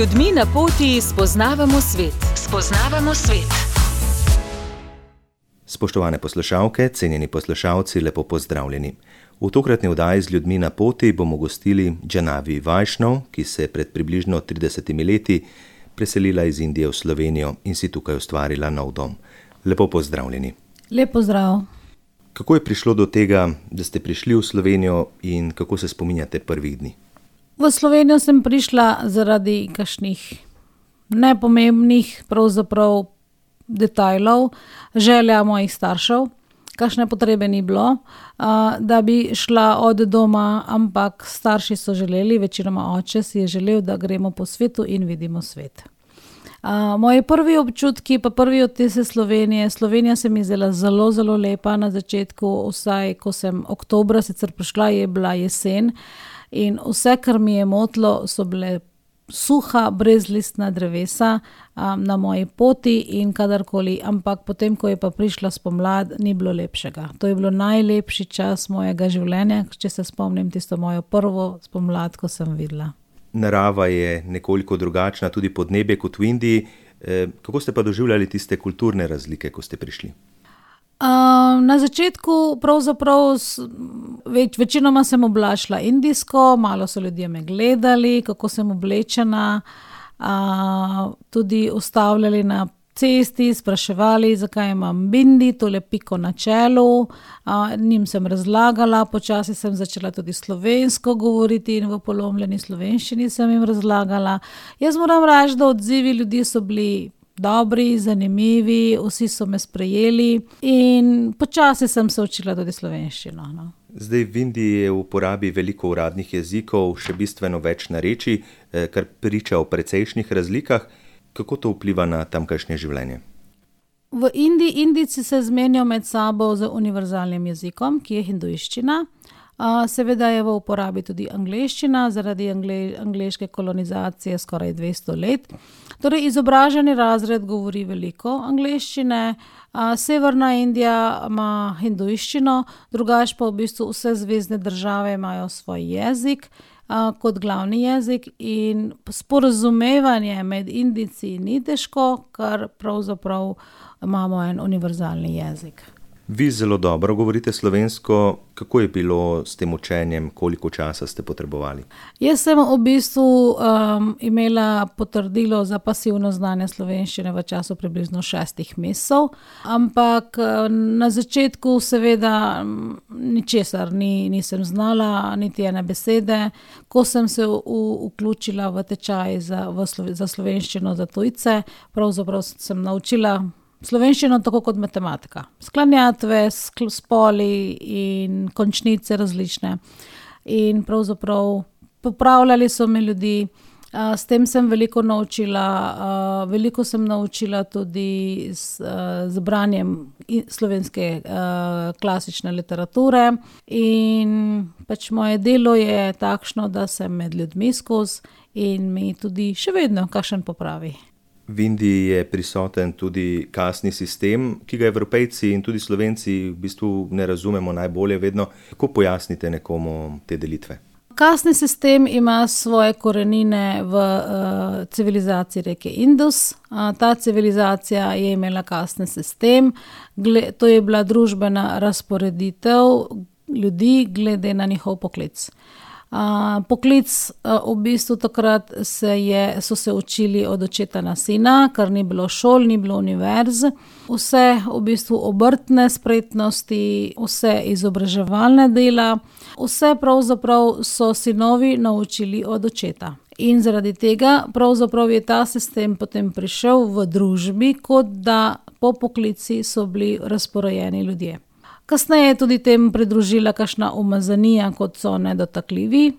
ljudmi na poti spoznavamo svet. Spoznavamo svet. Spoštovane poslušalke, cenjeni poslušalci, lepo pozdravljeni. V tokratni oddaji z ljudmi na poti bomo gostili Jhanavi Vaishnav, ki se je pred približno 30 leti preselila iz Indije v Slovenijo in si tukaj ustvarila nov dom. Lepo pozdravljeni. Lep pozdrav. Kako je prišlo do tega, da ste prišli v Slovenijo in kako se spominjate prvih dni? V Slovenijo sem prišla zaradi kakšnih nepomembnih pravzaprav detajlov, želja mojih staršev, kakšne potrebe ni bilo, da bi šla od doma, ampak starši so želeli, večinoma oče si je želel, da gremo po svetu in vidimo svet. Moji prvi občutki, pa prvi odtisi Slovenije. Slovenija se mi zdela zelo, zelo lepa na začetku, vsaj ko sem oktobra sicer prišla, je bila jesen in vse, kar mi je motilo, so bile suha, brezlistna drevesa na moji poti in kadarkoli, ampak potem, ko je pa prišla spomlad, ni bilo lepšega. To je bilo najlepši čas mojega življenja, če se spomnim tisto mojo prvo spomlad, ko sem videla. Narava je nekoliko drugačna, tudi podnebje kot v Indiji. Kako ste pa doživljali tiste kulturne razlike, ko ste prišli? Na začetku pravzaprav večinoma sem oblačila indijsko, malo so ljudje me gledali, kako sem oblečena, tudi ustavljali na cesti, spraševali, zakaj imam bindi, tole piko na čelu, njim sem razlagala, počasi sem začela tudi slovensko govoriti in v polomljeni slovenščini sem jim razlagala. Jaz moram reči, da odzivi ljudi so bili dobri, zanimivi, vsi so me sprejeli in počasi sem se učila tudi slovenščino. No. Zdaj v Indiji je v uporabi veliko uradnih jezikov, še bistveno več narečij, kar priča o precejšnjih razlikah. Kako to vpliva na tamkajšnje življenje? V Indiji Indijci se zmenijo med sabo z univerzalnim jezikom, ki je hinduiščina. Seveda je v uporabi tudi angleščina, zaradi angleške kolonizacije skoraj 200 let. Torej, izobraženi razred govori veliko angleščine, Severna Indija ima hinduiščino, drugače pa v bistvu vse zvezne države imajo svoj jezik kot glavni jezik in sporazumevanje med Indijci ni težko, ker pravzaprav imamo en univerzalni jezik. Vi zelo dobro govorite slovensko. Kako je bilo s tem učenjem? Koliko časa ste potrebovali? Jaz sem v bistvu imela potrdilo za pasivno znanje slovenščine v času približno 6 mesecev, ampak na začetku seveda ničesar nisem znala, niti ene besede. Ko sem se vključila v tečaj za slovenščino za tujce, pravzaprav sem naučila slovenščino tako kot matematika. Sklanjatve, spoli in končnice različne. In pravzaprav popravljali so me ljudi. S tem sem veliko naučila. Veliko sem naučila tudi z branjem slovenske klasične literature. In pač moje delo je takšno, da sem med ljudmi skozi in mi tudi še vedno kakšen popravi. V Indiji je prisoten tudi kastni sistem, ki ga Evropejci in tudi Slovenci v bistvu ne razumemo najbolje vedno. Kako pojasnite nekomu te delitve? Kastni sistem ima svoje korenine v civilizaciji reke Indus. Ta civilizacija je imela kastni sistem. To je bila družbena razporeditev ljudi glede na njihov poklic. Poklic v bistvu takrat so se učili od očeta na sina, ker ni bilo šol, ni bilo univerz. Vse v bistvu obrtne spretnosti, vse izobraževalne dela, vse pravzaprav so sinovi naučili od očeta. In zaradi tega pravzaprav je ta sistem potem prišel v družbi, kot da po poklici so bili razporejeni ljudje. Kasneje je tudi tem pridružila kakšna umazanija, kot so nedotakljivi.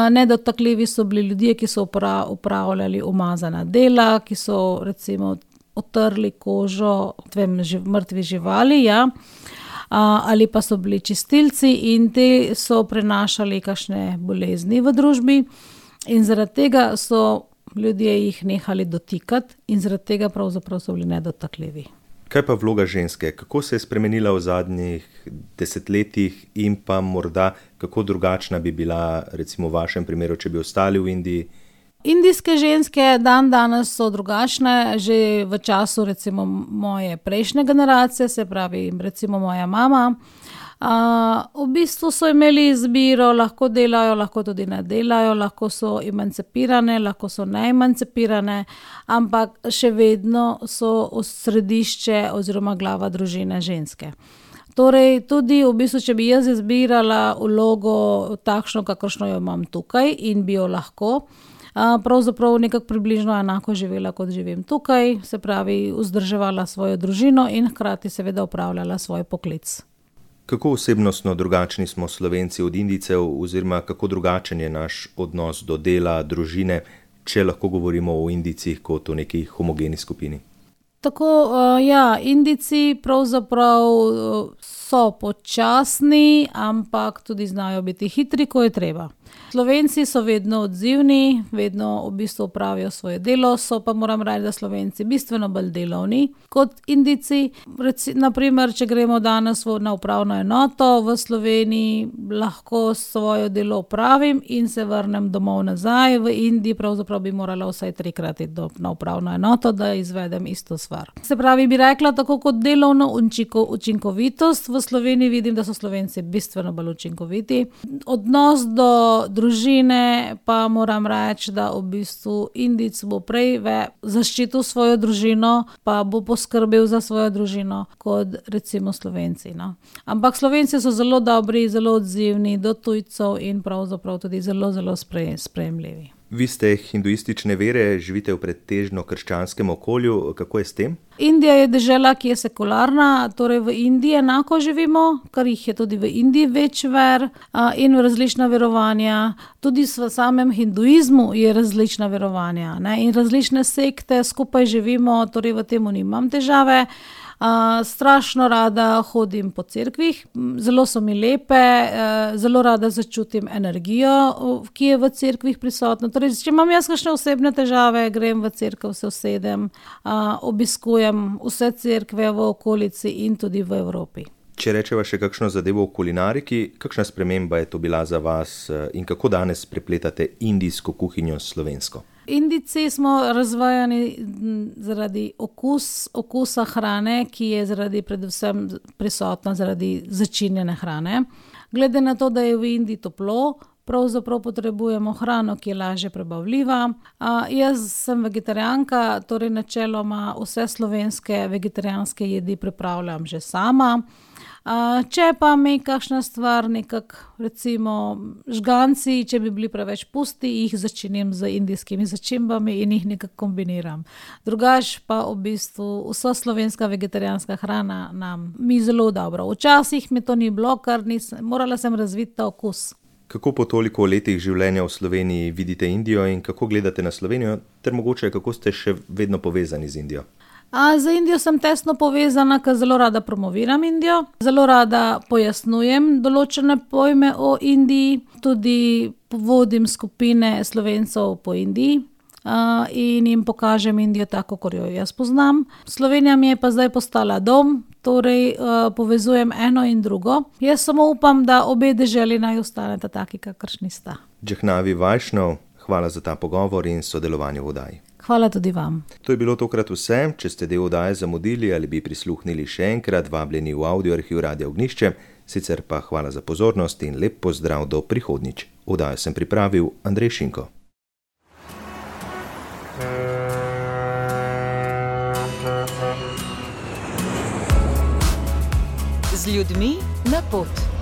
Nedotakljivi so bili ljudje, ki so upravljali umazana dela, ki so recimo otrli kožo mrtvi živali, ja. Ali pa so bili čistilci in te so prenašali kakšne bolezni v družbi in zaradi tega so ljudje jih nehali dotikati in zaradi tega pravzaprav so bili nedotakljivi. Kaj pa vloga ženske? Kako se je spremenila v zadnjih desetletjih in pa morda kako drugačna bi bila recimo v vašem primeru, če bi ostali v Indiji? Indijske ženske danes so drugačne, že v času recimo moje prejšnje generacije, se pravi recimo moja mama. V bistvu so imeli izbiro, lahko delajo, lahko tudi ne delajo, lahko so emancipirane, lahko so neemancipirane, ampak še vedno so središče oziroma glava družine ženske. Torej, tudi v bistvu, če bi jaz izbirala vlogo takšno, kakršno jo imam tukaj in bi jo lahko, pravzaprav nekako približno enako živela, kot živim tukaj, se pravi, vzdrževala svojo družino in hkrati seveda opravljala svoj poklic. Kako osebnostno drugačni smo Slovenci od Indijcev oziroma kako drugačen je naš odnos do dela, družine, če lahko govorimo o Indijcih kot o neki homogeni skupini? Tako, Indijci pravzaprav so počasni, ampak tudi znajo biti hitri, ko je treba. Slovenci so vedno odzivni, vedno v bistvu opravijo svoje delo, so pa moram reči, da Slovenci bistveno bolj delovni kot Indijci. Naprimer, če gremo danes na upravno enoto v Sloveniji, lahko svoje delo opravim in se vrnem domov nazaj. V Indiji pravzaprav bi morala vsaj 3-krat iti na upravno enoto, da izvedem isto stvar. Se pravi, bi rekla, tako kot delovno učinkovitost, v Sloveniji vidim, da so Slovenci bistveno bolj učinkoviti. Odnos do družine pa moram reči, da v bistvu Indijec bo prej zaščitil svojo družino, pa bo poskrbel za svojo družino, kot recimo Slovenci. No. Ampak Slovenci so zelo dobri, zelo odzivni do tujcev in pravzaprav tudi zelo, zelo sprejemljivi. Vi ste hinduistične vere, živite v pretežno krščanskem okolju, kako je s tem? Indija je dežela, ki je sekularna, torej v Indiji enako živimo, kar jih je tudi v Indiji več ver in različna verovanja. Tudi v samem hinduizmu je različna verovanja, ne? In različne sekte skupaj živimo, torej v tem nimam težave. Strašno rada hodim po cerkvih, zelo so mi lepe, zelo rada začutim energijo, ki je v cerkvih prisotna. Torej, če imam jaz kakšne osebne težave, grem v cerkev, se usedem, obiskujem vse cerkve v okolici in tudi v Evropi. Če rečeva še kakšno zadevo v kulinariki, kakšna sprememba je to bila za vas in kako danes prepletate indijsko kuhinjo s slovensko? Indijci smo razvajani zaradi okusa hrane, ki je predvsem prisotna zaradi začinjene hrane. Glede na to, da je v Indiji toplo, pravzaprav potrebujemo hrano, ki je lažje prebavljiva. Jaz sem vegetarijanka, torej načeloma vse slovenske vegetarijanske jedi pripravljam že sama. Če pa me kakšna stvar recimo žganci, če bi bili preveč pusti, jih začinim z indijskimi začimbami in jih nekako kombiniram. Drugače pa v bistvu vsa slovenska vegetarijanska hrana mi zelo dobro. Včasih mi to ni bilo, ker morala sem razviti ta okus. Kako po toliko letih življenja v Sloveniji vidite Indijo in kako gledate na Slovenijo, ter mogoče kako ste še vedno povezani z Indijo? Z Indijo sem tesno povezana, ker zelo rada promoviram Indijo, zelo rada pojasnjujem določene pojme o Indiji, tudi vodim skupine Slovencev po Indiji in jim pokažem Indijo tako, kot jo jaz poznam. Slovenija mi je pa zdaj postala dom, torej povezujem eno in drugo. Jaz samo upam, da obe deželi naj ostaneta taki, kakršni sta. Jehnavi Vaishnav, hvala za ta pogovor in sodelovanje v oddaji. Hvala tudi vam. To je bilo tokrat vse. Če ste del oddaje zamudili ali bi prisluhnili še enkrat, vabljeni v audioarhiv Radia Ognjišče, sicer pa hvala za pozornost in lep pozdrav do prihodnjič. Oddajo sem pripravil Andrej Šinko. Z ljudmi na pot.